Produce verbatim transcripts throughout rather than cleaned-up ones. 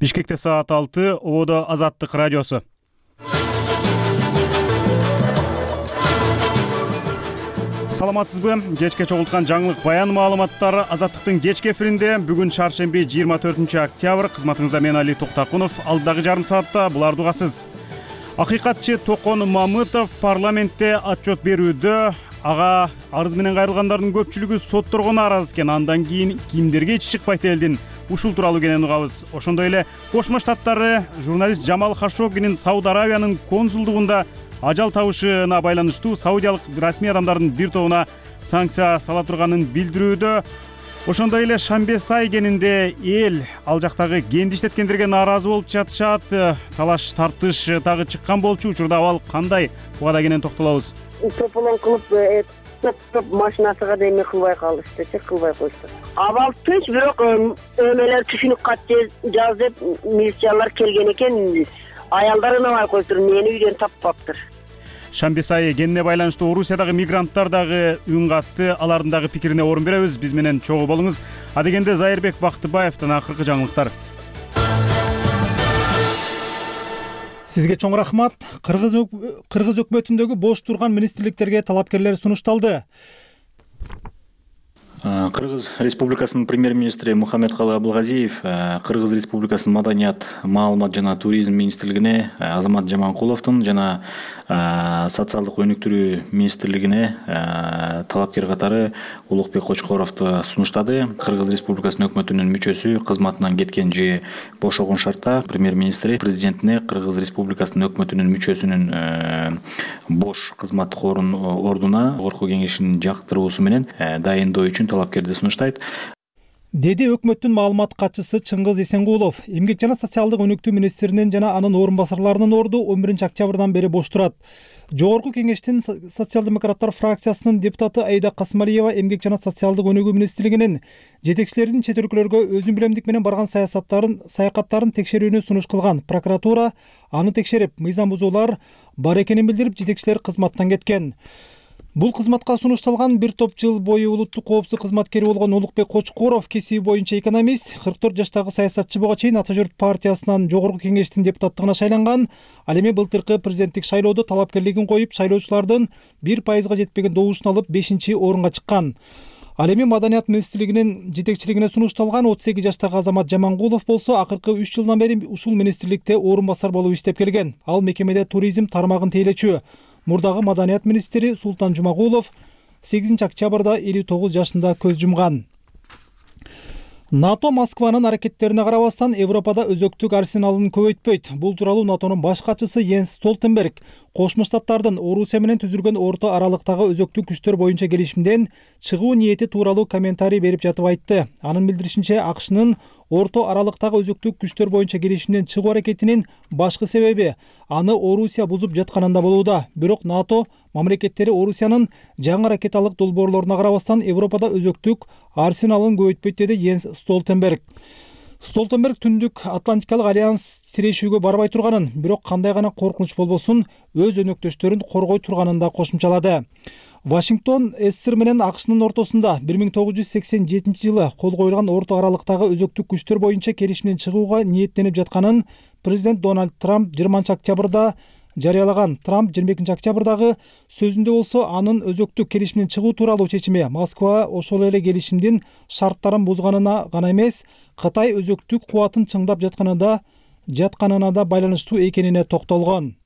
Бишкекте саат алты, Ободо Азаттык радиосу. Саламатсызбы? Кечке чогулткан жаңылык баян маалыматтары Азаттыктын кечки эфиринде. Бүгүн шаршемби жыйырма төртүнчү октябрь. Кызматыңызда мен Али Токтакунов. Алдагы жарым саатта буларды угасыз. Акыйкатчы Токон Мамытов парламентте отчет берүүдө ага арыз менен кайрылгандардын көпчүлүгү сотторго нааразы экен. Андан кийин кимдерге ич чыкпайт элдин ушул тууралуу кенен угабыз. Ошондой эле Кошмо Штаттары журналист Жамал Хашогинин Сауд Аравиянын консулдугунда ажал табышына байланыштуу саудиялык расмий адамдардын бир тобуна санкция сала турганын билдирүүдө. Ошондой эле Шамбесай кенинде эл ал жактагы кенди иштеткендерге нааразы болуп жатышат. Талаш тартыш дагы чыккан болчу. Учурда абал кандай? Буга да кенен токтолобуз. Тополон кылып топ машинасыга да эме кылбай калыштычы, кылбай коюшту. Абал тынч, бирок өмелер түшүнүк кат жаз деп милициялар келген экен. Аялдар ынабай коюптур, мени үйдөн таппаптыр. Шамбесай кенине байланыштуу Орусиядагы мигранттар дагы үн катты. Алардын дагы пикирине орун беребиз. Биз менен чогуу болуңуз. Адегенде Зайырбек Бактыбаевдин акыркы жаңылыктар. Сизге чоң рахмат. Кыргыз Кыргыз өкмөтүндөгү бош турган министрликтерге талапкерлер сунушталды. Кыргыз Республикасынын премьер-министри Мухаммедкалы Абылгазиев Кыргыз Республикасынын маданият, маалымат жана туризм министрлигине Азамат Жаманкуловдун жана социалдык өнүктүрүү министрлигине талапкер катары Улукбек Кочкоровду сунуштады. Кыргыз Республикасынын өкмөтүнүн мүчөсү кызматынан кеткен же бошогон шартта премьер-министри президентине Кыргыз Республикасынын өкмөтүнүн мүчөсүнүн бош кызматтык ордуна Жогорку кеңешинин жактыруусу менен дайындоо үчүн талапкерди сунуштайт, деди өкмөттүн маалымат катчысы Чыңгыз Эсенгулов. Эмгек жана социалдык өнүктүү министринин жана анын орун басарларынын орду он биринчи октябрдан бери бош турат. Жогорку кеңештин социал-демократтар фракциясынын депутаты Айда Касмалиева эмгек жана социалдык өнүгүү министрлигинин жетекчилеринин чет өлкөлөргө өзүн билемдик менен барган саясаттарын саякаттарын текшерүүнү сунуш кылган. Прокуратура аны текшерип, мыйзам бузуулар бар экенин билдирип, жетекчилер кызматтан кеткен. Бул кызматка сунушталган бир топ жыл бою улуттук коопсуздук кызматкери болгон Улукбек Кочкоров кесиби боюнча экономист, кырк төрт жаштагы саясатчы буга чейин Ата журт партиясынан Жогорку кеңештин депутаттыгына шайланган. Ал эми былтыркы президенттик шайлоодо талапкерлигин коюп, шайлоочулардын бир пайызга жетпеген добушун алып бешинчи орунга чыккан. Ал эми маданият министрлигинин жетекчилигине сунушталган отуз сегиз жаштагы Азамат Жаманкулов болсо акыркы үч жылдан бери ушул министрликте орун басар болуп иштеп келген. Ал мекемеде туризм тармагын тейлечү. Мурдагы маданият министри Султан Жумагулов сегизинчи октябрда элүү тогуз жашында көз жумган. НАТО Москванын аракеттерине карабастан Европада өзөктүк арсеналын көбөйтпөйт. Бул тууралуу НАТОнун баш катчысы Йенс Столтенберг Кошмо Штаттардын Орусия менен түзүлгөн орто аралыктагы өзөктүк күчтөр боюнча келишимден чыгуу ниети тууралуу комментарий берип жатып айтты. Анын билдиришинче, АКШнын орто аралыктагы өзөктүк күчтөр боюнча келишимден чыгуу аракетинин башкы себеби аны Орусия бузуп жатканында болууда. Бирок НАТО мамлекеттери Орусиянын жаңы ракеталык долбоорлоруна карабастан Европада өзөктүк арсеналын көбөйтпөйт, деди Йенс Столтенберг. Столтенберг Түндүк Атлантикалык альянс тирешүүгө барбай турганын, бирок кандай гана коркунуч болбосун өз өнөктөштөрүн коргой турганын да кошумчалады. Вашингтон СССР менен АКШнын ортосунда бир миң тогуз жүз сексен жетинчи жылы кол коюлган орто аралыктагы өзөктүк күчтөр боюнча келишимден чыгууга ниеттенип жатканын президент Дональд Трамп жыйырманчы октябрда жарыялаган. Трамп жыйырма экинчи октябрдагы сөзүндө болсо анын өзөктүк келишимден чыгуу тууралуу чечими Москва ошол эле келишимдин шарттарын бузганына гана эмес, Кытай өзөктүк кубатын чыңдап жатканына жатканына да байланыштуу экенине токтолгон.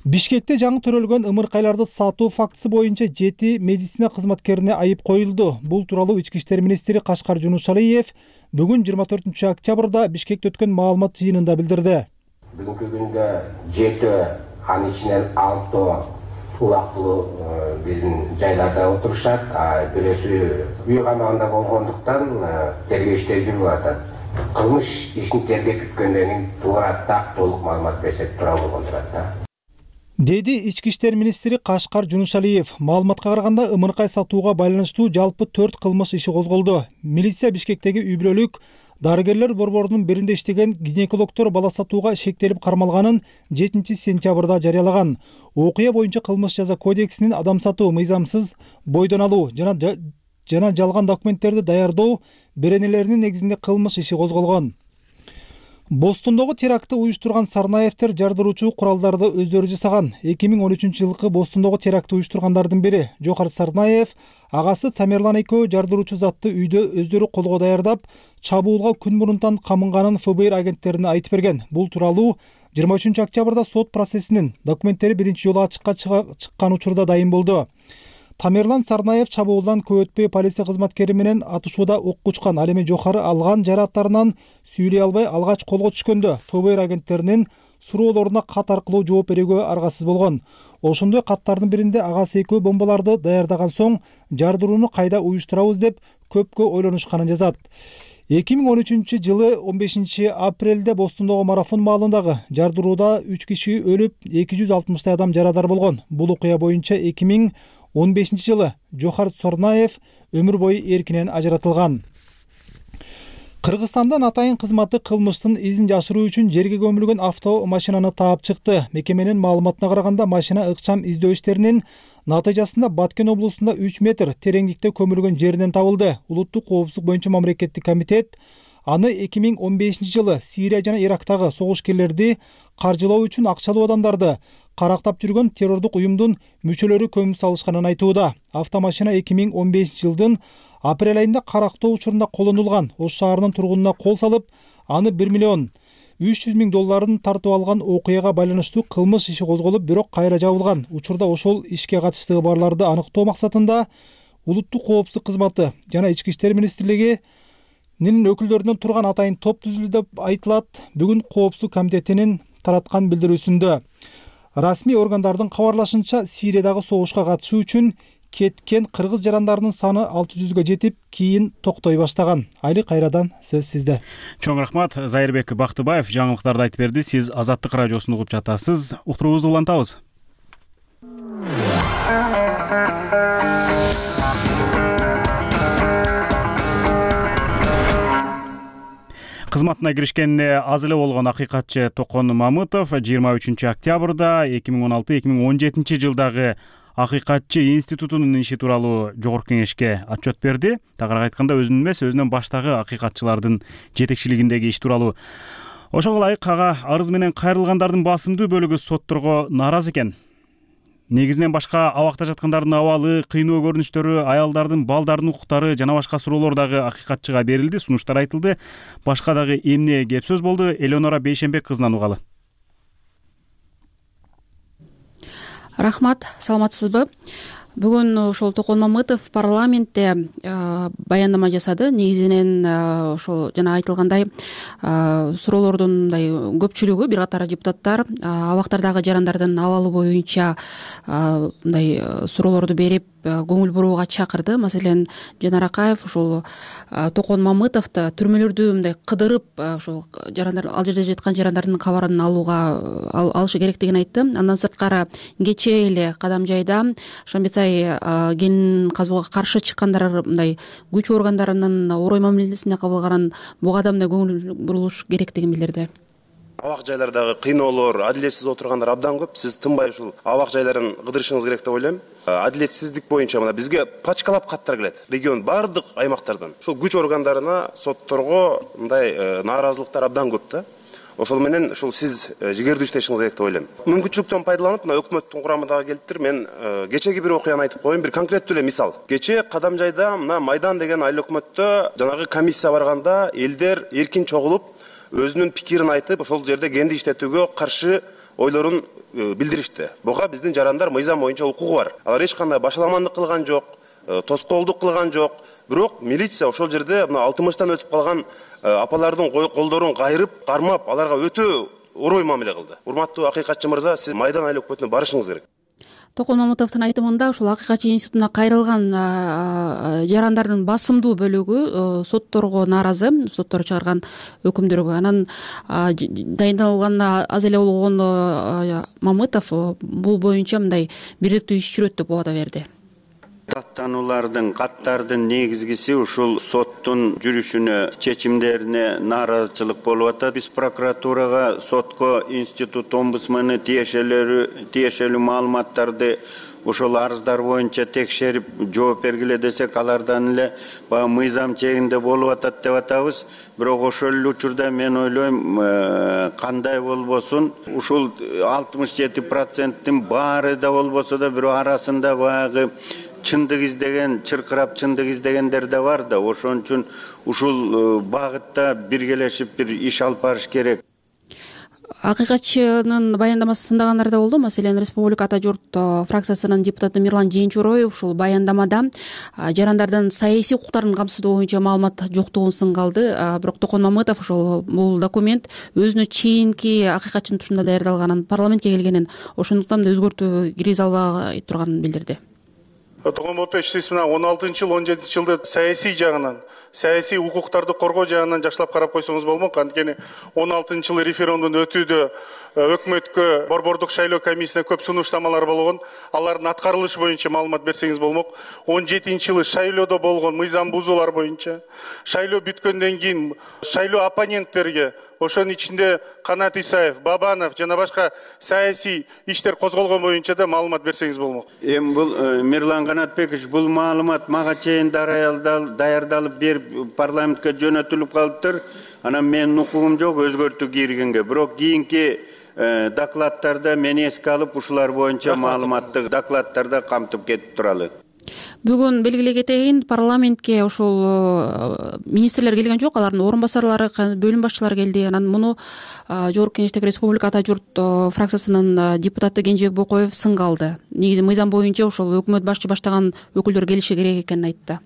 Бишкекте жаңы төрөлгөн ымыркайларды сатуу фактысы боюнча жети медицина кызматкерине айып коюлду. Бул тууралуу ички иштер министри Кашкар Жунушалиев бүгүн жыйырма төртүнчү октябрда Бишкекте өткөн маалымат жыйынында билдирди. Бүгүнкү күндө жети, анын ичинен алты убактылуу биздин жайларда отурушат, бирөөсү үй камагында болгондуктан тергөө иштери жүрүп атат. Кылмыш ишин тергеп бүткөндөн кийин туура так толук маалымат берсек туура болгон турат да, деди ички иштер министри Кашкар Жунушалиев. Маалыматка караганда ымыркай сатууга байланыштуу жалпы төрт кылмыш иши козголду. Милиция Бишкектеги үй бүлөлүк дарыгерлер борборунун биринде иштеген гинекологдор бала сатууга шектелип кармалганын жетинчи сентябрда жарыялаган. Окуя боюнча кылмыш жаза кодексинин адам сатуу, мыйзамсыз бойдон алуу жана жана жалган документтерди даярдоо беренелеринин негизинде кылмыш иши козголгон. Бостондогу терактты уюштурган Сарнаевдер жардыруучу куралдарды өздөрү жасаган. эки миң он үчүнчү жылкы Бостондогу терактты уюштургандардын бири Жохар Сарнаев, агасы Тамерлан экөө жардыруучу затты үйдө өздөрү колго даярдап, чабуулга күн мурунтан камынганын эф бэ эр агенттерине айтып берген. Бул тууралуу жыйырма үчүнчү октябрда сот процессинин документтери биринчи жолу ачыкка чыккан учурда дайын болду. Тамерлан Сарнаев чабуулдан көп өтпөй полиция кызматкери менен атышууда окко учкан. Ал эми Жохары алган жарааттарынан сүйлөй албай алгач колго түшкөндө эф бэ эр агенттеринин суроолоруна кат аркылуу жооп берүүгө аргасыз болгон. Ошондой каттардын биринде агасы экөө бомбаларды даярдаган соң жардырууну кайда уюштурабыз деп көпкө ойлонушканын жазат. эки миң он үчүнчү жылы он бешинчи апрелде Бостондогу марафон маалындагы жардырууда үч киши өлүп, эки жүз алтымыштай адам жарадар болгон. Бул окуя боюнча эки миң он бешинчи жылы Жохар Сарнаев өмүр бою эркинен ажыратылган. Кыргызстандан атайын кызматы кылмыштын изин жашыруу үчүн жерге көмүлгөн автомашинаны таап чыкты. Мекеменин маалыматына караганда, машина ыкчам издөө иштеринин натыйжасында Баткен облусунда үч метр тереңдикте көмүлгөн жеринен табылды. Улуттук коопсуздук боюнча мамлекеттик комитет аны эки миң он бешинчи жылы Сирия жана Ирактагы согушкерлерди каржылоо үчүн акчалуу адамдарды карактап жүргөн террордук уюмдун мүчөлөрү көмүп салышканын айтууда. Автомашина эки миң он бешинчи жылдын апрель айында карактоо учурунда колдонулган. Ош шаарынын тургунуна кол салып, аны бир миллион үч жүз миң долларын тартып алган окуяга байланыштуу кылмыш иши козголуп, бирок кайра жабылган. Учурда ошол ишке катыштыгы барларды аныктоо максатында Улуттук коопсуздук кызматы жана Ички иштер министрлигинин өкүлдөрүнөн турган атайын топ түзүлдү деп айтылат. Бүгүн коопсуздук комитетинин тараткан билдирүүсүндө расмий органдардын кабарлашынча, Сириядагы согушка катышуу үчүн кеткен кыргыз жарандарынын саны алты жүзгө жетип, кийин токтой баштаган. Айли кайрадан сөз сизде. Чоң рахмат. Зайырбек Бактыбаев жаңылыктарды айтып берди. Сиз Азаттык радиосун угуп жатасыз. Уктуруубузду улантабыз. Кызматына киришкенине аз эле болгон акыйкатчы Токон Мамытов жыйырма үчүнчү октябрда эки миң он алты эки миң он жетинчи жылдагы Акыйкатчы институтунун иши тууралуу Жогорку кеңешке отчет берди. Тагыраак айтканда, өзүнүн эмес, өзүнөн баштагы акыйкатчылардын жетекчилигиндеги иш тууралуу. Ошого ылайык ага арыз менен кайрылгандардын басымдуу бөлүгү сотторго нааразы экен. Негизинен башка абакта жаткандардын абалы, кыйноо көрүнүштөрү, аялдардын, балдардын укуктары жана башка суроолор дагы акыйкатчыга берилди, сунуштар айтылды. Башка дагы эмне кеп сөз болду? Элеонора Бейшенбек кызынан угалы. Рахмат, саламатсызбы? Бүгүн ошол Токон Мамытов парламентте баяндама жасады. Негизинен ошол жана айтылгандай суроолордун мындай көпчүлүгү, бир катар депутаттар абактардагы жарандардын абалы боюнча мындай суроолорду берип, көңүл бурууга чакырды. Маселен, Жанар Акаев ошол Токон Мамытовду түрмөлөрдү мындай кыдырып, ошол жарандар, ал жерде жаткан жарандардын кабарын алууга алышы керектигин айтты. Андан сырткары кечээ эле Кадамжайда Шамбетсай кен казууга каршы чыккандар мындай күч органдарынын орой мамилесине кабылганын буга да мындай көңүл бурулуш керектигин билдирди. Абак жайлардагы кыйноолор, адилетсиз отургандар абдан көп. Сиз тынбай ушул абак жайларын кыдырышыңыз керек деп ойлойм. Адилетсиздик боюнча мына бизге пачкалап каттар келет. Регион бардык аймактардан. Ушул күч органдарына, сотторго мындай нааразылыктар абдан көп да. Ошол менен ушул сиз жигердүү иштешиңиз керек деп ойлойм. Мүмкүнчүлүктөн пайдаланып, мына өкмөттүн курамы дагы келиптир. Мен кечеги бир окуяны айтып коеюн, бир конкреттүү эле мисал. Кечээ Кадамжайда мына Майдан деген айыл өкмөттө жанагы комиссия барганда элдер эркин чогулуп, өзүнүн пикирин айтып, ошол жерде кенди иштетүүгө каршы ойлорун билдиришти. Буга биздин жарандар мыйзам боюнча укугу бар. Алар эч кандай башаламандык кылган жок, тоскоолдук кылган жок. Бирок милиция ошол жерде мына алтымыштан өтүп калган апалардын колдорун кайрып, кармап, аларга өтө орой мамиле кылды. Урматтуу акыйкатчы мырза, сиз Майдан айыл өкмөтүнө барышыңыз керек. Токон Мамытовдун айтымында ушул акыйкатчы институтуна кайрылган жарандардын басымдуу бөлүгү сотторго нааразы, соттор чыгарган өкүмдөргө. Анан дайындалганына аз эле болгон Мамытов бул боюнча мындай бирликтүү иш жүрөт деп убада берди. Даттануулардын каттардын негизгиси ушул соттун жүрүшүнө, чечимдерине нааразычылык болуп атат. Биз прокуратурага, сотко, институт омбудсмени тиешелүү тиешелүү маалыматтарды ошол арыздар боюнча текшерип жооп бергиле десек, алардан эле баягы мыйзам чегинде болуп атат деп атабыз. Бирок ошол эле учурда мен ойлойм, кандай болбосун, ушул алтымыш жети проценттин баары да болбосо да бирок арасында баягы чындык издеген, чыркырап чындык издегендер да бар да. Ошон үчүн ушул багытта биргелешип бир иш алып барыш керек. Акыйкатчынын баяндамасы сындагандар да болду. Маселен, Республика Ата журт фракциясынын депутаты Мирлан Жээнчуроев ушул баяндамада жарандардын саясий укуктарын камсыздоо боюнча маалымат жоктугун сынга алды. Бирок Токон Мамытов ошол бул документ өзүнө чейинки акыйкатчынын тушунда даярдалганын, парламентке келгенин, ошондуктан да өзгөртүү киргизе албай турганын билдирди. Токон Мамытов сиз мына он алтынчы жыл, он жетинчи жылды саясий жагынан, саясий укуктарды коргоо жагынан жакшылап карап койсоңуз болмок. Анткени он алтынчы жылы референдумдун өтүүдө өкмөткө борбордук шайлоо комиссиясына көп сунуштамалар болгон. Алардын аткарылышы боюнча маалымат берсеңиз болмок. он жетинчи жылы шайлоодо болгон мыйзам бузуулар боюнча, шайлоо бүткөндөн кийин шайлоо оппоненттерге, ошонун ичинде Канат Исаев, Бабанов жана башка саясий иштер козголгон боюнча да маалымат берсеңиз болмок. Эми бул Мирлан Канатбекович, бул маалымат мага чейин даярдалып берип парламентке жөнөтүлүп калыптыр. Анан менин укугум жок өзгөртүү киргенге. Бирок кийинки докладтарда мени эске алып ушулар боюнча маалыматты докладтарда камтып кетип туралы. Бүгүн белгилей кетейин, парламентке ошол министрлер келген жок, алардын орун басарлары, бөлүм башчылары келди. Анан муну Жогорку Кеңештеги Республика Ата журт фракциясынын депутаты Кенжебек Бокоев сынга алды. Негизи мыйзам боюнча ошол өкмөт башчы баштаган өкүлдөр келиши керек экенин айтты.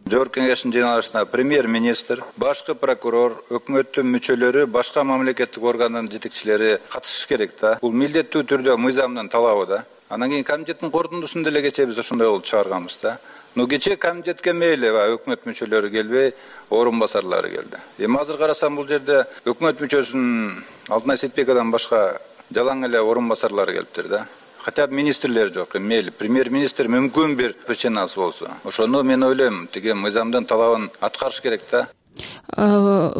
Жогорку Кеңештин жыйналышына премьер-министр, башкы прокурор, өкмөттүн мүчөлөрү, башка мамлекеттик органдын жетекчилери катышыш керек да. Бул милдеттүү түрдө мыйзамдын талабы да. Анан кийин комитеттин корутундусунда эле кечээ биз ошондой болуп чыгарганбыз да. Но кечээ комитетке мейли өкмөт мүчөлөрү келбей, орун басарлары келди. Эми азыр карасам бул жерде өкмөт мүчөсүнүн Алтынай Сетбековдон башка жалаң эле орун басарлары келиптир да. Хотя бы министрлер жок, мейли премьер-министр мүмкүн бир причинасы болсо. Ошону мен ойлойм, тиги мыйзамдын талабын аткарыш керек да.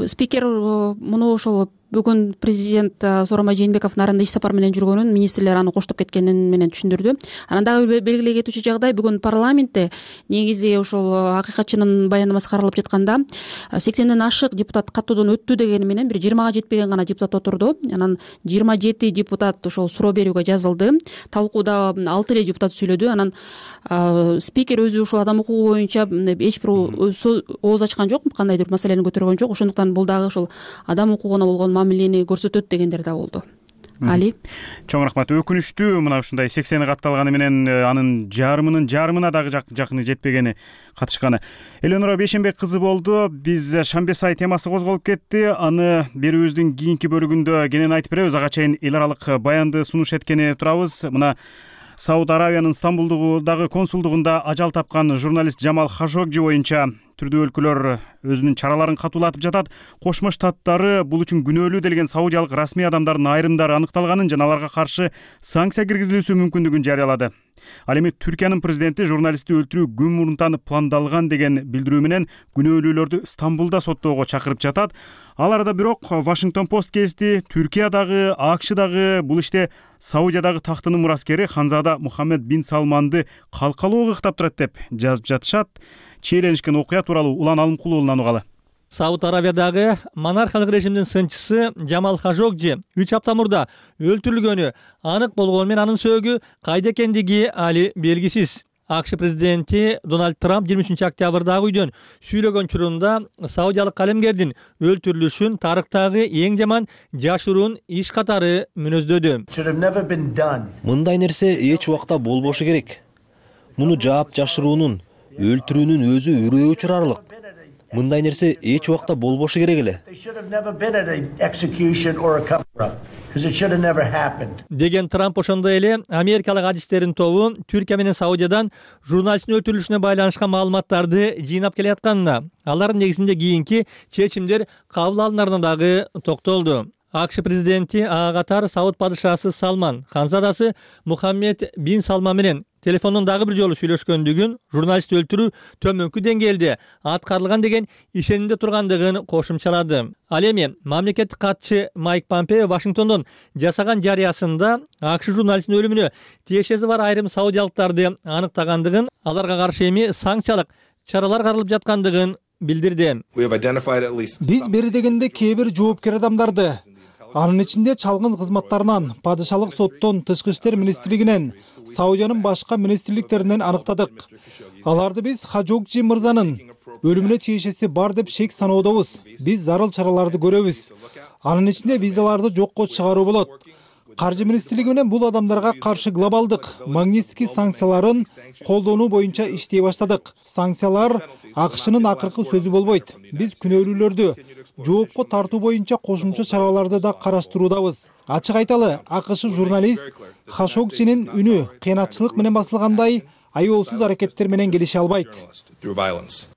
Спикер муну ошол бүгүн президент Сооронбай Жээнбеков нарында иш сапар менен жүргөнүн, министрлер аны коштоп кеткенин менен түшүндүрдү. Анан дагы белгилей кетүүчү жагдай, бүгүн парламентте негизи ошол акыйкатчынын баяндамасы каралып жатканда сексенден ашык депутат каттоодон өттү дегени менен бир жыйырмага жетпеген гана депутат отурду. Анан жыйырма жети депутат ошол суроо берүүгө жазылды. Талкууда алты эле депутат сүйлөдү. Анан спикер өзү ушул адам укугу боюнча эч бир ооз ачкан жок, кандайдыр маселени көтөргөн жок. Ошондуктан бул дагы ошол адам укугуна болгон мамилени көрсөтөт дегендер да болду. Али. Чоң рахмат. Өкүнүчтүү мына ушундай сексени катталганы менен анын жарымынын жарымына дагы жакыны жетпегени катышканы. Элеонора Бейшенбек кызы болду. Биз шамбе сай темасы козголуп кетти. Аны берүүбүздүн кийинки бөлүгүндө кенен айтып беребиз. Ага чейин эл аралык баянды сунуш эткени турабыз. Мына Сауд Арабиянын Стамбулдагы консулдугунда ажал тапкан журналист Жамал Хашогжи боюнча түрдүү өлкөлөр өзүнүн чараларын катуулатып жатат. Кошмо Штаттары бул үчүн күнөөлүү делген саудиялык расмий адамдардын айрымдары аныкталганын жана аларга каршы санкция киргизилүүсү мүмкүндүгүн жарыялады. Ал эми Түркиянын президенти журналистти өлтүрүү күн мурунтан пландалган деген билдирүү менен күнөөлүүлөрдү Стамбулда соттоого чакырып жатат. Ал арада бирок Вашингтон Пост гезити Түркиядагы, АКШдагы бул иште Саудиядагы тактынын мураскери Ханзада Мухаммед бин Салманды калкалоо ыктап турат деп жазып жатышат. Чейленишкен окуя тууралуу Улан Алымкулуулунан угалы. Сауд Арабиядагы монархиялык режимдин сынчысы Жамал Хашогжи үч апта мурда өлтүрүлгөнү анык болгону менен анын сөөгү кайда экендиги али белгисиз. АКШ президенти Дональд Трамп жыйырма үчүнчү октябрдагы үйдөн сүйлөгөн учурунда саудиялык калемгердин өлтүрүлүшүн тарыхтагы эң жаман жашыруун иш катары мүнөздөдү. Мындай нерсе эч убакта болбошу керек. Муну жаап жашыруунун, өлтүрүүнүн өзү үрөө учурарлык. Мындай нерсе эч убакта болбошу керек эле. Деген Трамп ошондой эле америкалык адистердин тобу Түркия менен Саудиядан журналисттин өлтүрүлүшүнө байланышкан маалыматтарды жыйнап келатканына, алардын негизинде кийинки чечимдер кабыл алынарына дагы токтолду. АКШ президенти ага катар Сауд падышасы Салман, ханзадасы Мухаммед бин Салман менен телефондон дагы бир жолу сүйлөшкөндүгүн, журналистти өлтүрүү төмөнкү деңгээлде аткарылган деген ишенимде тургандыгын кошумчалады. Ал эми мамлекеттик катчы Майк Помпео Вашингтондон жасаган жарыясында АКШ журналистинин өлүмүнө тиешеси бар айрым саудиялыктарды аныктагандыгын, аларга каршы эми санкциялык чаралар каралып жаткандыгын билдирди. Биз бери дегенде кээ бир жоопкер адамдарды, анын ичинде чалгын кызматтарынан, падышалык соттон, тышкы иштер министрлигинен, Саудиянын башка министрликтеринен аныктадык. Аларды биз Хажокжи мырзанын өлүмүнө тиешеси бар деп шек саноодобуз. Биз зарыл чараларды көрөбүз. Анын ичинде визаларды жокко чыгаруу болот. Каржы министрлиги менен бул адамдарга каршы глобалдык Магнитский санкцияларын колдонуу боюнча иштей баштадык. Санкциялар АКШнын акыркы сөзү болбойт. Биз күнөөлүүлөрдү жоопко тартуу боюнча кошумча чараларды да караштыруудабыз. Ачык айталы, АКШ журналист Хашогжинин үнү кыянатчылык менен басылгандай аеосуз аракеттер менен келише албайт.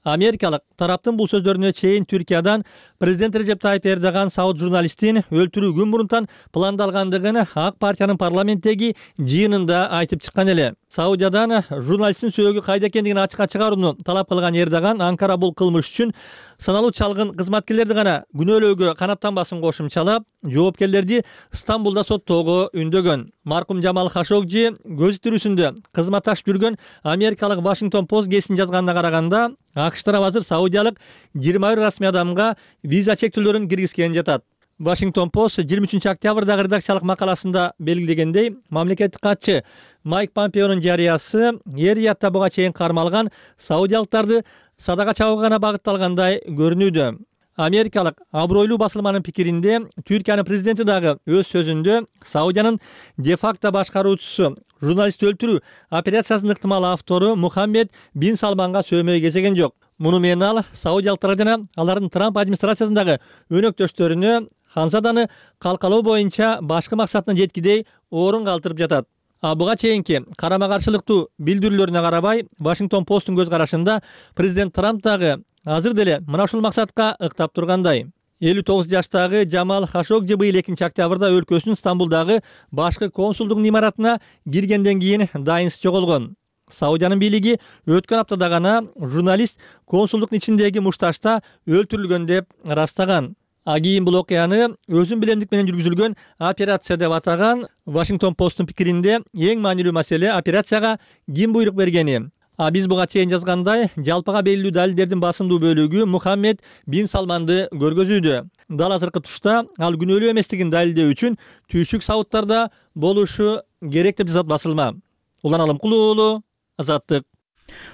Америкалык тараптын бул сөздөрүнө чейин Түркиядан президент Режеп Тайып Эрдоган Сауд журналистин өлтүрүү күн мурунтан пландалгандыгын ак партиянын парламенттеги жыйынында айтып чыккан эле. Саудиядан журналисттин сөөгү кайда экендигин ачыкка чыгарууну талап кылган Эрдоган Анкара бул кылмыш үчүн саналуу чалгын кызматкерлерди гана күнөөлөөгө канаттанбасын кошумчалап, жоопкерлерди Стамбулда соттоого үндөгөн. Маркум Жамал Хашогжи көз тирүүсүндө кызматташып жүргөн америкалык Вашингтон Пост гезитине жазганына караганда, АКШ тарабы азыр саудиялык жыйырма бир расмий адамга виза чектөөлөрүн киргизген жатат. Вашингтон Пост жыйырма үчүнчү октябрдагы редакциялык макаласында белгилегендей, мамлекеттик катчы Майк Помпеонун жарыясы эр-риядда буга чейин кармалган саудиялыктарды садага чабууга гана багытталгандай көрүнүүдө. Америкалык абройлуу басылманын пикиринде, Түркиянын президенти дагы өз сөзүндө Саудиянын де-факто башкаруучусу журналистти өлтүрүү операциясынын ыктымал автору Мухаммед бин Салманга сөөмөй кезеген жок. Муну менен ал саудиялыктар жана алардын Трамп администрациясындагы өнөктөштөрүнө Ханзаданы калкалоо боюнча башкы максатына жеткидей орун калтырып жатат. А буга чейинки карама-каршылыктуу билдирүүлөрүнө карабай, Вашингтон Посттун көз карашында президент Трамп дагы азыр деле мына ушул максатка ыктап тургандай. элүү тогуз жаштагы Жамал Хашогжи быйыл экинчи октябрда өлкөсүнүн Стамбулдагы башкы консулдук имаратына киргенден кийин дайынсыз жоголгон. Саудиянын бийлиги өткөн аптада гана журналист консулдуктун ичиндеги мушташта өлтүрүлгөн деп ырастаган. А кийин бул окуяны өзүн билемдик менен жүргүзүлгөн операция деп атаган. Вашингтон Посттун пикиринде эң маанилүү маселе операцияга ким буйрук бергени. А биз буга чейин жазгандай, жалпыга белгилүү далилдердин басымдуу бөлүгү Мухаммед бин Салманды көргөзүүдө. Дал азыркы тушта ал күнөөлүү эместигин далилдөө үчүн Түйшүк Саудтарда болушу керек деп жазат басылма. Улан Алымкул уулу, Азаттык.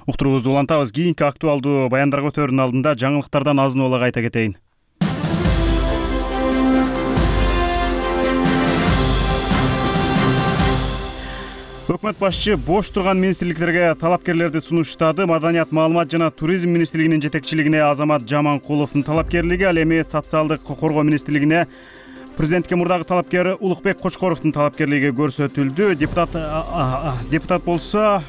Уктуруубузду улантабыз. Кийинки актуалдуу баяндарга өтөөрүнүн алдында жаңылыктардан азын улак айта кетейин. Өкмөт башчы бош турган министрликтерге талапкерлерди сунуштады. Маданият, маалымат жана туризм министрлигинин жетекчилигине Азамат Жаманкуловдун талапкерлиги, ал эми социалдык коргоо министрлигине президентке мурдагы талапкер Улукбек Кочкоровдун талапкерлиги көрсөтүлдү. Депутат депутат болсо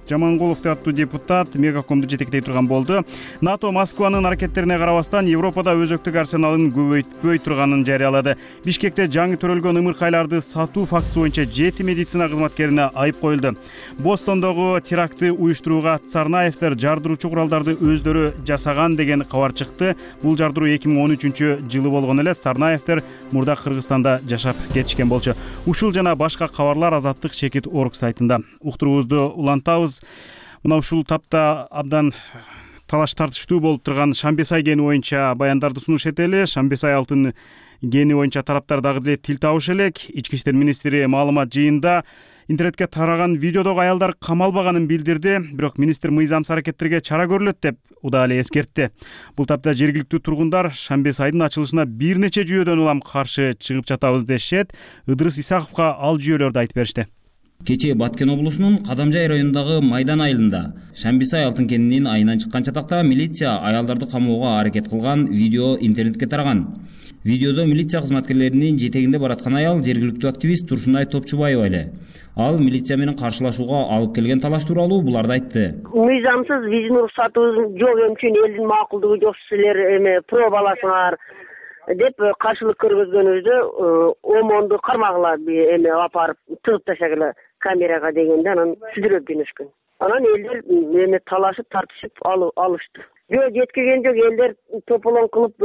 Жаманкулов аттуу депутат Мегакомду жетектей турган болду. НАТО Москванын аракеттерине карабастан Европада өзөктүк арсеналын көбөйтпөй турганын жарыялады. Бишкекте жаңы төрөлгөн ымыркайларды сатуу фактысы боюнча жети медицина кызматкерине айып коюлду. Бостондогу терактты уюштурууга Царнаевдер жардыруучу куралдарды өздөрү жасаган деген кабар чыкты. Бул жардыруу эки миң он үчүнчү жылы болгон эле. Царнаевдер мурда Кыргызстанда жашап кетишкен болчу. Ушул жана башка кабарлар Азаттык чекит орг сайтында. Уктуруубузду улантабыз. Мына ушул тапта абдан талаш тартыштуу болуп турган Шамбесай кени боюнча баяндарды сунуш этели. Шамбесай алтын кени боюнча тараптар дагы деле тил табыш элек. Ички иштер министри маалымат жыйында интернетке тараган видеодогу аялдар камалбаганын билдирди, бирок министр мыйзамсыз аракеттерге чара көрүлөт деп уда эле эскертти. Бул тапта жергиликтүү тургундар Шамбесайдын ачылышына бир нече жүйөдөн улам каршы чыгып жатабыз дешет. Ыдырыс Исаковго ал жүйөлөрдү айтып беришти. Кечээ Баткен облусунун Кадамжай районундагы Майдан айылында Шамбесай алтын кенинин айынан чыккан чатакта милиция аялдарды камоого аракет кылган видео интернетке тараган. Видеодо милиция кызматкерлеринин жетегинде бараткан аял жергиликтүү активист Турсунай Топчубаева эле. Ал милиция менен каршылашууга алып келген талаш тууралуу буларды айтты. Мыйзамсыз визин уруксатыбыз жок үчүн элдин макулдугу жок силер эме пробаласыңар деп каршылык көргөзгөнүбүздө омонду кармагыла эме алып барып тыгып ташагыла. камерага дегенде анан сүзүрөп жөнөшкөн. Анан элдер эме талашып тартышып алышты. Жөө жеткиген жок, элдер тополоң кылып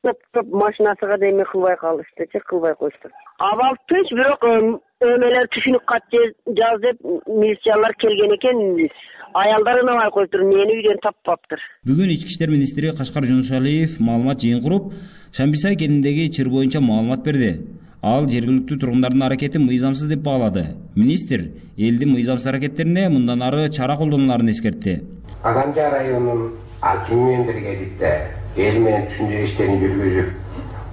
топ топ машинасыга да эме кылбай калыштычы, кылбай коюшту. Абал тынч, бирок өмелер түшүнүк кат жаз деп милициялар келген экен. Аялдар ынабай коюптур, мени үйдөн таппаптыр. Бүгүн ички иштер министри Кашкар Жунушалиев маалымат жыйын куруп, Шамбисай кениндеги чыр боюнча маалымат берди. Ал жергиликтүү тургундардын аракети мыйзамсыз деп баалады. Министр элдин мыйзамсыз аракеттерине мындан ары чара колдонуларын эскертти. Кадамжай районунун акими менен биргеликте эл менен түшүндүрүү иштерин жүргүзүп,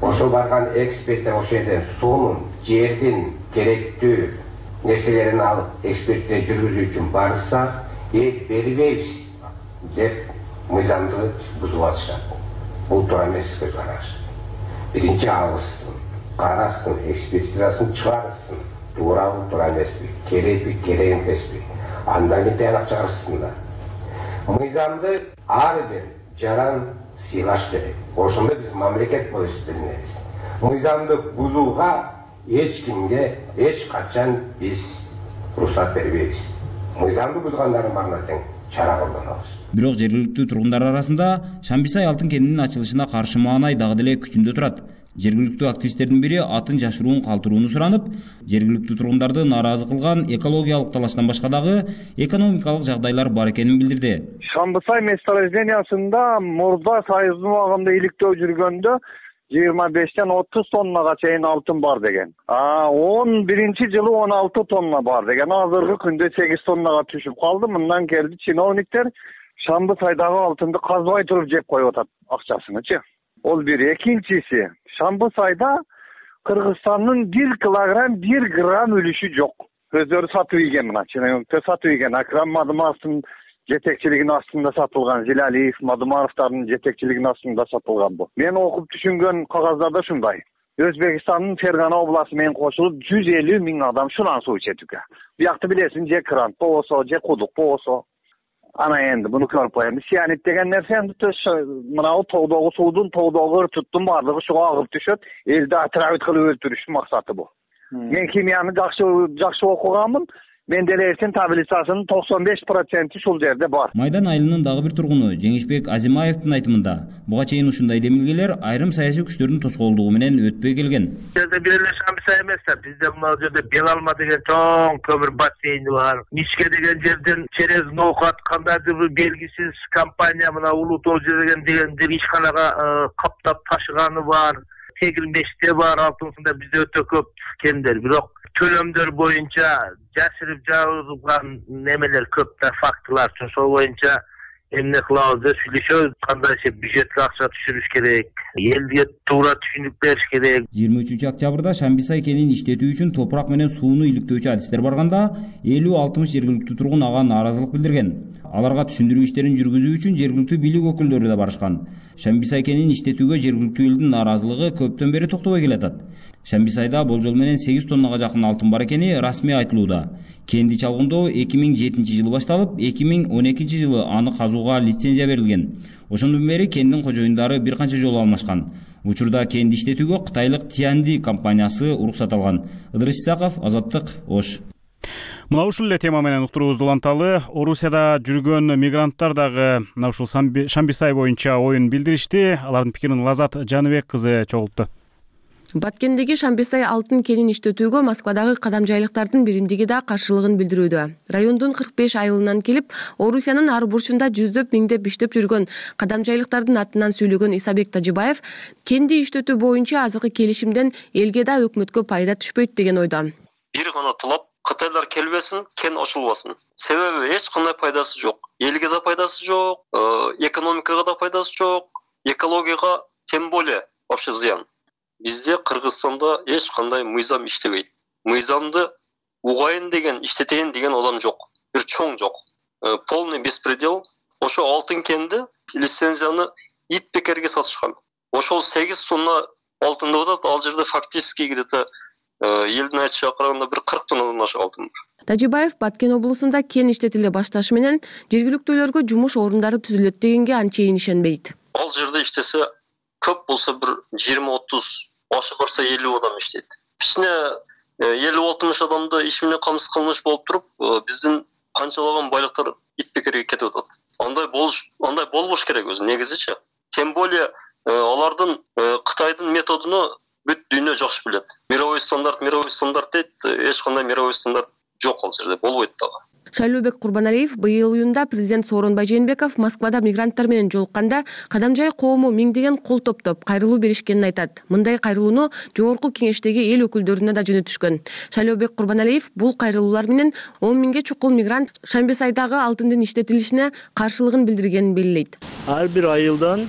ошо барган эксперттер ошол жерден суунун, жердин керектүү нерселерин алып экспертиза жүргүзүү үчүн барышса, эл бербейбиз деп мыйзамды бузуп атышат. Бул туура эмес көз караш. Биринчи алышсын, карасын, экспертизасын чыгарсын. Туурабы, туура эмеспи, керекпи, керек эмеспи. Андан кийин тыянак чыгарышсындар. Мыйзамды ар бир жаран сыйлаш керек. Ошондо биз мамлекет болуп эсептелебиз. Мыйзамды бузууга эч кимге эч качан биз уруксат бербейбиз. Мыйзамды бузгандардын баарына тең чара колдонобуз. Бирок жергиликтүү тургундар арасында Шамбисай алтын кенинин ачылышына каршы маанай дагы деле күчүндө турат. Жергиликтүү активисттердин бири атын жашыруун калтырууну суранып, жергиликтүү тургундарды нааразы кылган экологиялык талаштан башка дагы экономикалык жагдайлар бар экенин билдирди. Шамбисай месторождениясында мурда Союздун убагында иликтөө жүргөндө жыйырма бештен отуз тоннага чейин алтын бар деген. А он биринчи жылы он алты тонна бар деген. Азыркы күндө сегиз тоннага түшүп калды. Мындан келди чиновниктер Шамбысайдагы алтынды казбай туруп жеп коюп атат акчасынычы. Ол бир. Экинчиси, Шамбысайда Кыргызстандын бир килограмм бир грамм үлүшү жок. Өздөрү сатып ийген мына, чиновниктер сатып ийген. Акрам Мадымаровдун жетекчилигинин астында сатылган, Зилалиев, Мадымаровдардын жетекчилигинин астында сатылган бул. Мен окуп түшүнгөн кагаздарда ушундай. Өзбекстандын Фергана областы менен кошулуп жүз элүү миң адам шунан суу ичетүкө. Биякты билесиң, же кран болсо, же кудук болсо. Ана энди буну көрүп коем. Сианит деген нерсе энди мынау тоодогу суудун, тоодогу ыртыттын баардыгы шуга агып түшөт. Элди отравить кылып өлтүрүштүн максаты бул. Мен химияны жакшы жакшы окуганмын. Менделеевдин таблицасынын токсон беш проценти ушул жерде бар. Майдан айылынын дагы бир тургуну Жеңишбек Азимаевдин айтымында, буга чейин ушундай демилгелер айрым саясий күчтөрдүн тоскоолдугу менен өтпөй келген. Жерде бир эле Шамбисай эмес да, бизде мына жерде Белалма деген чоң көмүр бассейни бар. Мишке деген жерден через ноокат кандайдыр бир белгисиз компания мына Улуу Тоо деген дегендер ишканага каптап ташыганы бар. Тегилмеште бар, алтынсында бизде өтө көп кендер. Бирок төлөмдөр боюнча жашырып жабылган немелер көп да фактылар. Ошол боюнча эмне кылабыз деп сүйлөшөбүз. Кандайча бюджетке акча түшүрүш керек, элге туура түшүнүк бериш керек. жыйырма үчүнчү октябрда Шамбисай кенин иштетүү үчүн топурак менен сууну иликтөөчү адистер барганда элүү алтымыш жергиликтүү тургун ага нааразылык билдирген. Аларга түшүндүрүү иштерин жүргүзүү үчүн жергиликтүү бийлик өкүлдөрү да барышкан. Шамбисай кенин иштетүүгө жергиликтүү элдин нааразылыгы көптөн бери токтобой келатат. Шамбисайда болжол менен сегиз тоннага жакын алтын бар экени расмий айтылууда. Кенди чалгындоо эки миң жетинчи жылы башталып, эки миң он экинчи жылы аны казууга лицензия берилген. Ошондон бери кендин кожоюндары бир канча жолу алмашкан. Учурда кенди иштетүүгө кытайлык Тианди компаниясы уруксат алган. Ыдырыс Исаков, Азаттык, Ош. Мына ушул эле тема менен уктуруубузду уланталы. Орусияда жүргөн мигранттар дагы мына ушул Шамбисай боюнча оюн билдиришти. Алардын пикирин Лазат Жаныбек кызы чогултту. Баткендеги Шамбисай алтын кенин иштетүүгө Москвадагы кадамжайлыктардын биримдиги да каршылыгын билдирүүдө. Райондун кырк беш айылынан келип, Орусиянын ар бурчунда жүздөп миңдеп иштеп жүргөн кадамжайлыктардын атынан сүйлөгөн Исабек Тажибаев кенди иштетүү боюнча азыркы келишимден элге да өкмөткө пайда түшпөйт деген ойдо. Бир гана талап Кытайлар келбесин, кен ачылбасын. Себеби эч кандай пайдасы жок. Элге да пайдасы жок, экономикага да пайдасы жок, экологияга тем более вообще зыян. Бизде Кыргызстанда эч кандай мыйзам иштебейт. Мыйзамды угайын деген, иштетейин деген адам жок. Бир чоң жок. Полный беспредел. Ошо алтын кенди лицензияны ит бекерге сатышкан. Ошол сегиз тонна алтын деп атат, ал жерде фактически где-то элдин айтышына караганда бир кырк тоннадан ашык алтын бар. Тажибаев Баткен облусунда кен иштетиле башташы менен жергиликтүүлөргө жумуш орундары түзүлөт дегенге анчейин ишенбейт. Ал жерде иштесе көп болсо бир жыйырма отуз, ашы барса элүү адам иштейт. Кичине элүү алтымыш адамды иш менен камсыз кылмыш болуп туруп, биздин канчалаган байлыктар итпекерге кетип атат. Андай болуш, андай болбош керек өзү негизичи. Тем более алардын Кытайдын методуну бүт дүйнө жакшы билет. Мировой стандарт, мировой стандарт дейт, эч кандай мировой стандарт жок ал жерде, болбойт дагы. Шайлообек Курбаналиев быйыл июнда президент Сооронбай Жээнбеков Москвада мигранттар менен жолукканда Кадамжай коому миңдеген кол топтоп кайрылуу беришкенин айтат. Мындай кайрылууну жогорку кеңештеги эл өкүлдөрүнө да жөнөтүшкөн. Шайлообек Курбаналиев бул кайрылуулар менен он миңге чукул мигрант Шамбисайдагы алтындын иштетилишине каршылыгын билдиргенин белгилейт. Ар бир айылдан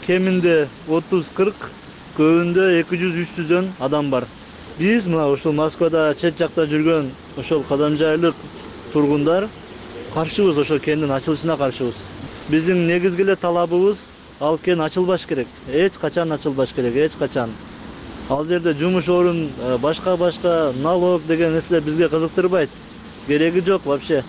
кеминде отуз кырк, көбүндө эки жүз үч жүздөн адам бар. Биз мына ушул Москвада чет жакта жүргөн ошол кадамжайлык тургундар каршыбыз, ошол кендин ачылышына каршыбыз. Биздин негизги эле талабыбыз ал кен ачылбаш керек. Эч качан ачылбаш керек, эч качан. Ал жерде жумуш орун, башка-башка налог деген нерселер бизге кызыктырбайт. Кереги жок вообще.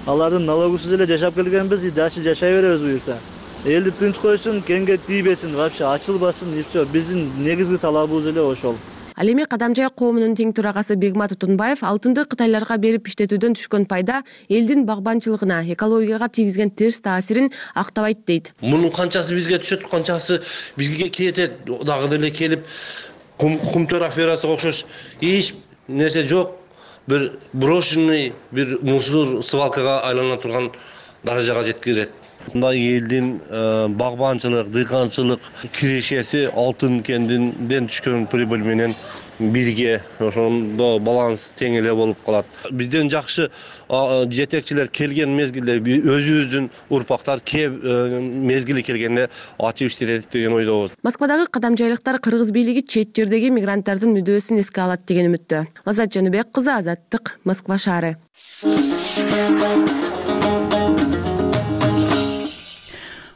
Алардын налогусуз эле жашап келгенбиз, дальше жашай беребиз буюрса. Элди тынч койсун, кенге тийбесин, вообще ачылбасын, и все. Биздин негизги талабыбыз эле ошол. Ал эми Кадамжай коомунун тең төрагасы Бегмат Утунбаев алтынды кытайларга берип иштетүүдөн түшкөн пайда элдин багбанчылыгына, экологияга тийгизген терс таасирин актабайт дейт. Мунун канчасы бизге түшөт, канчасы бизге кетет, дагы деле келип кумтөр аферасына окшош эч нерсе жок. Бир брошенный бир мусор свалкага айлана турган даражага жеткирет. Мындай элдин багбанчылык, дыйканчылык кирешеси алтын кендинден түшкөн прибыль менен бирге ошондо баланс тең эле болуп калат. Бизден жакшы жетекчилер келген мезгилде өзүбүздүн урпактар кеп мезгили келгенде ачып иштетет деген ойдобуз. Москвадагы кадамжайлыктар кыргыз бийлиги чет жердеги мигранттардын мүдөөсүн эске алат деген үмүттө. Лаззат Жаныбек кызы, Азаттык, Москва шаары.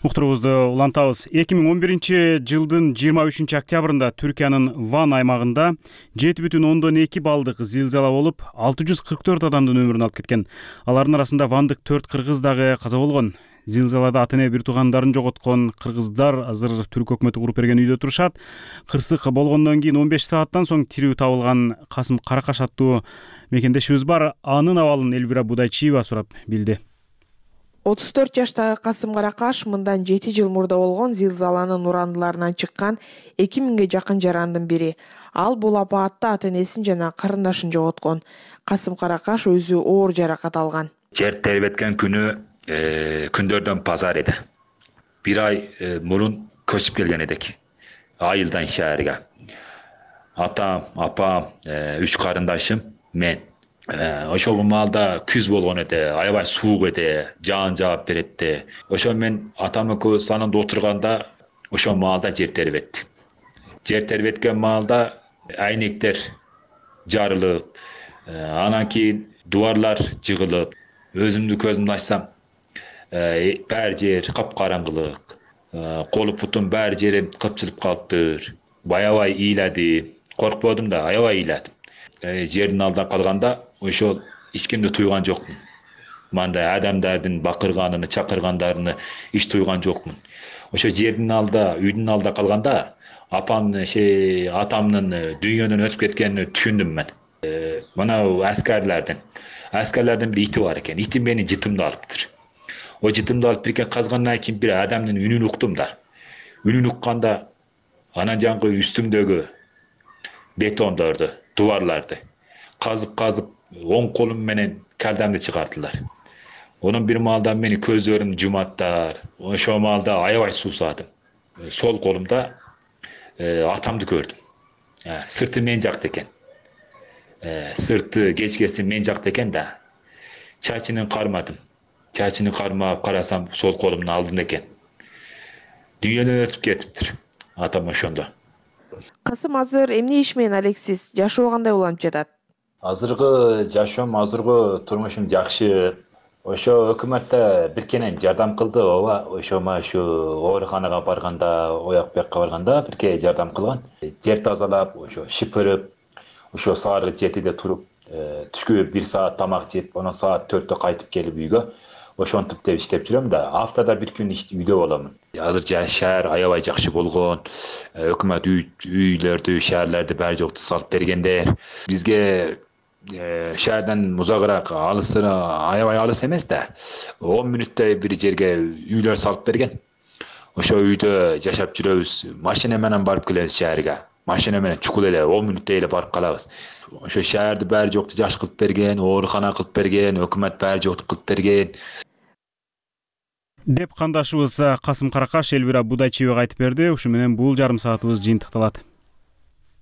Уктуруубузду улантабыз. эки миң он биринчи жылдын жыйырма үчүнчү октябрында Түркиянын Ван аймагында жети бүтүн ондон эки балдык зилзала болуп, алты жүз кырк төрт адамдын өмүрүн алып кеткен. Алардын арасында вандык төрт кыргыз дагы каза болгон. Зилзалада ата-эне бир туугандарын жоготкон кыргыздар азыр түрк өкмөтү куруп берген үйдө турушат. Кырсык болгондон кийин он беш сааттан соң тирүү табылган Касым Каракаш аттуу мекендешибиз бар. Анын абалын Элвира Будайчиева сурап билди. отуз төрт жаштагы Касым Каракаш мындан жети жыл мурда болгон зилзаланын урандыларынан чыккан эки миңге жакын жарандын бири. Ал бул апаатта ата-энесин жана карындашын жоготкон. Касым Каракаш өзү оор жаракат алган. Жер тербеткен күнү күндөрдөн пазар эди. Бир ай мурун көчүп келген эдик. Айылдан шаарга. Атам, апам, үч карындашым, мен. Ошол маалда күз болгон эди, аябай суук эди, жаан жаап беретти. Ошо мен атам экөөбүз санында отурганда ошол маалда жер тербетти. Жер тербеткен маалда айнектер жарылып, анан кийин дубарлар жыгылып, өзүмдү көзүмдү ачсам, баары жер капкараңгылык, колу бутум баары жерим кыпчылып калыптыр. Аябай ыйладым, коркподум да, аябай ыйладым. Жердин алдында калганда ошол эч кимди туйган жокмун. Мындай адамдардын бакырганын, чакыргандарыны эч туйган жокмун. Ошо жердин алдында, үйдүн алдында калганда апамдын, атамдын дүйнөдөн өтүп кеткенин түшүндүм мен. Мына аскерлердин, аскерлердин бир ити бар экен. Ити мени жытымды алыптыр. О жытымды алып бирке казгандан кийин бир адамдын үнүн уктум да. Үнүн укканда анан жаңгы үстүмдөгү бетондорду, дубарларды казып-казып оң колум менен калдамды чыгардылар. Онун бир маалда мени көздөрүм жуматтар. Ошол маалда аябай суусадым. Сол колумда атамды көрдүм. Сырты мен жакта экен. Сырты кечкеси мен жакта экен да. Чачынын кармадым. Чачыны кармап карасам сол колумдун алдында экен. Дүйнөдөн өтүп кетиптир. Атам ошондо. Касым азыр эмне иш менен алексиз? Жашоо кандай уланып жатат? Азыркы жашоом, азыркы турмушум жакшы. Ошо өкмөттө биркенен жардам кылды, ооба. Ошо машу ооруканага барганда, ояк бuyakка барганда бирке жардам кылган. Жер тазалап, ошо шипирип, ошо саары жетиде туруп, түшкү бир саат тамак жеп, анан саат төрттө кайтып келип үйгө. ошентип деп иштеп жүрөм да. Аптада бир күн үйдө боломун. Азыр шаар аябай жакшы болгон. Өкмөт үйлөрдү, шаарларды баары жокту салып бергендер. Бизге шаардан узагыраак алысына аябай алыс эмес да. он мүнөттөй бир жерге үйлөр салып берген. Ошо үйдө жашап жүрөбүз. Машина менен барып келебиз шаарга. Машина менен чукул эле он мүнөттөй эле барып калабыз. Ошо шаарды баары жокту жаш кылып берген, оорукана кылып берген, өкмөт баары жокту кылып берген деп кандашыбыз Касым Каракаш Элвира Будайчиевага айтып берди. Ушу менен бул жарым саатыбыз жыйынтыкталат.